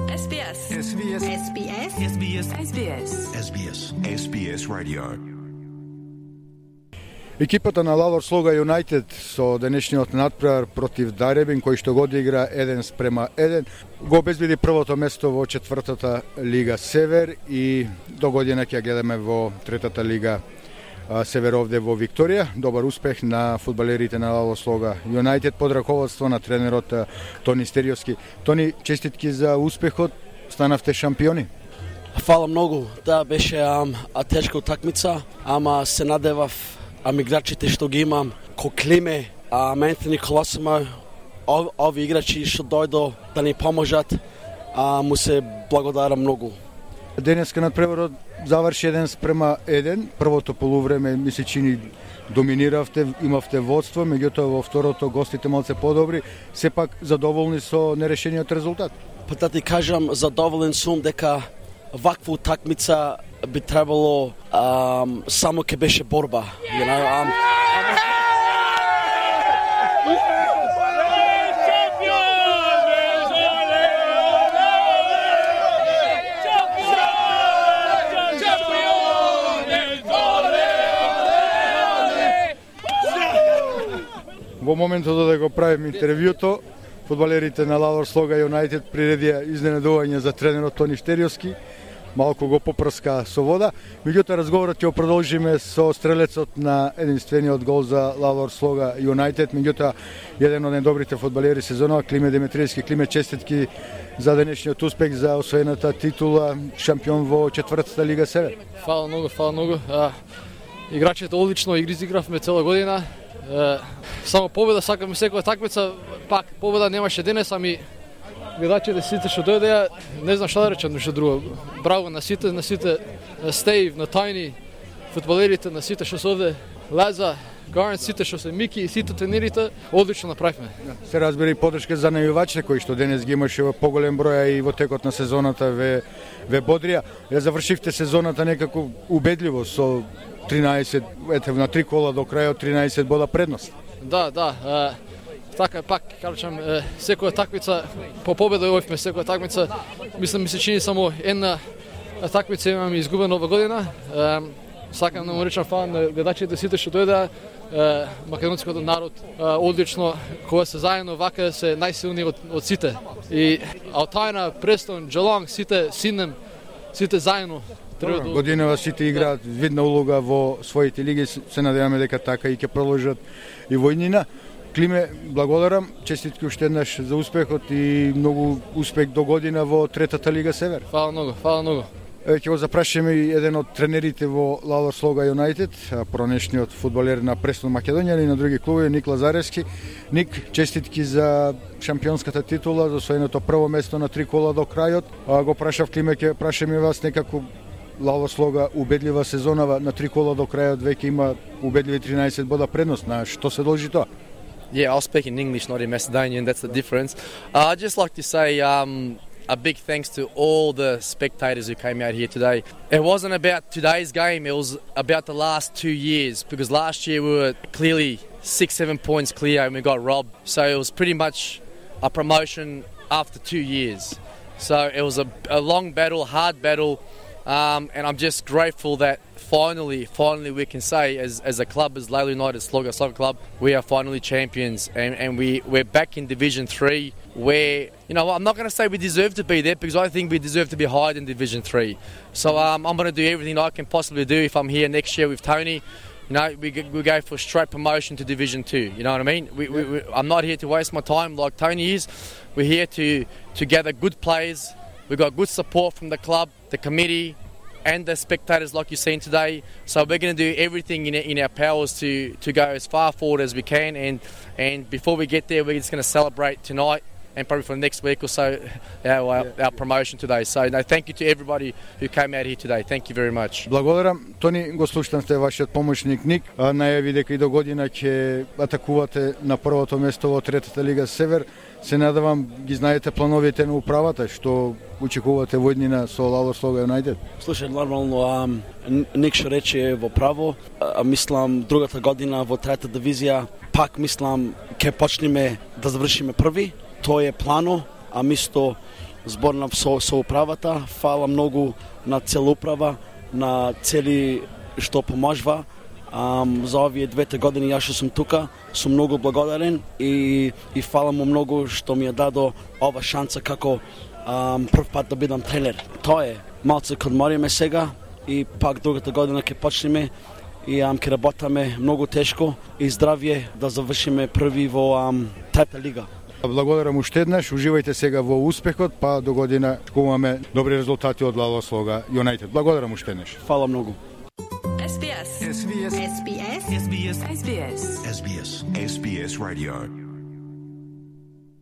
SBS. SBS. SBS. SBS. SBS. SBS. SBS Radio. Екипата на Лавор Слога Юнайтед со денешниот надпревар против Даребин, кој што го одигра 1:1, го обезбеди првото место во четвртата Лига Север и до година ќе гледаме во третата Лига Север овде во Викторија. Добар успех на фудбалерите на Лавор Слога Юнайтед под раководство на тренерот Тони Стериовски. Тони, честитки за успехот, станавте шампиони. Фала многу. Да, беше тешка утакмица, ама се надевав играчите што ги имам, ко Климе, Антони Колосимо, ови играчи што дојдо да ни поможат, му се благодарам многу. Денеска надпреварот заврши 1:1. Првото полувреме ми се чини доминиравте, имавте водство, меѓутоа во второто гостите малце подобри, сепак задоволни со нерешениот резултат. Па да ти кажам, задоволен сум дека ваква утакмица би требало само ке беше борба. Во моментот да го правим интервјуто, фудбалерите на Лавор Слога Юнайтед приредија изненадување за тренерот Тони Стериовски, малку го попрска со вода. Меѓутоа разговорот ќе продолжиме со стрелецот на единствениот гол за Лавор Слога Юнайтед, меѓутоа еден од најдобрите фудбалери сезонот, Климе Димитриевски. Климе, честитки за денешниот успех, за освоената титула шампион во четвртата Лига Север. Фала многу. Играчите одлично изигравме цела година. Само победа сакаме секоја такмица, пак победа немаше денес, ами гледачите сите што дојдеа, не знам што да речам нешто друго. Браво на сите, на Стейв, на Тајни, фудбалерите, на сите што се овде, Лаза, Гарн, сите што се Мики, сите тренерите, одлично направивме. Се разбира и поддршка за најувачите кои што денес ги имаше во поголем број и во текот на сезоната ве бодрија. Ја завршивте сезоната некако убедливо со 13, на 3 кола до крајот 13 бода предност. Да. Така пак, кажам, секоја такмица по победа овивме секоја такмица. Мислам ми се чини само една такмица имаме изгубена ова година. Сакам да му речам фала на гледачите сите што дојдеа. Македонскиот народ одлично кога се заедно вака се најсилни од сите. И Алтајна, Престон, Джелонг, сите Сиднем, сите заедно. Годинава сите играат видна улога во своите лиги, се надеваме дека така и ќе продолжат и војнина. Климе, благодарам, честитки уште еднаш за успехот и многу успех до година во третата Лига Север. Фала многу. Ќе го запрашаме и еден од тренерите во Лавор Слога Юнайтед, пронешниот фудбалер на Престон Македонија и на други клубови, Ник Лазаревски. Ник, честитки за шампионската титула, за освоеното прво место на 3 кола до крајот. Го прашав Климе, ќе прашаме вас некако Лавор Слога убедлива сезонава на 3 кола до крајот, веќе има убедливи 13 бода предност. На што се должи тоа? Yeah, I'll speak in English, not in Macedonian. That's the difference. I'd just like to say a big thanks to all the spectators who came out here today. It wasn't about today's game, it was about the last 2 years, because last year we were clearly 6-7 points clear and we got robbed. So it was pretty much a promotion after 2 years. So it was a long battle, hard battle, and I'm just grateful that finally we can say as a club, as Lalor United Slogger Soccer Club, we are finally champions, and we're back in Division 3 where, I'm not going to say we deserve to be there, because I think we deserve to be higher than Division 3. So I'm going to do everything I can possibly do if I'm here next year with Tony. We go for straight promotion to Division 2, you know what I mean? I'm not here to waste my time like Tony is. We're here to gather good players. We've got good support from the club, the committee, and the spectators like you've seen today. So we're going to do everything in our powers to go as far forward as we can, and before we get there, we're just going to celebrate tonight and probably for the next week or so our promotion today. So thank you to everybody who came out here today. Thank you very much. Благодарам. Тони, го слушнавте вашиот помошник Ник, најави дека и до година ќе атакувате на првото место во третата Лига Север. Се надевам ги знаете плановите на управата, што очекувате војнина со Лавор Слога Юнайтед? Слушај, нормално, Ник што рече во право, мислам другата година во трета дивизија, пак мислам ќе почнеме да завршиме први, тоа е плано, а мисто зборнав со управата, фала многу на цела управа, на цели што поможува. За овие 2 години јас што сум тука, сум многу благодарен и фала му многу што ми ја дадо ова шанса како прв пат да бидам тренер. Тоа е, малце ќе одмориме сега и пак другата година ќе почнеме и ќе работаме многу тешко и здравје да завршиме први во трета лига. Благодарам уште еднаш, уживајте сега во успехот, па до година имаме добри резултати од Лало Слога Юнайтед. Благодарам уште еднаш. Фала многу. SBS. SBS. SBS. SBS. SBS. SBS. SBS Radio.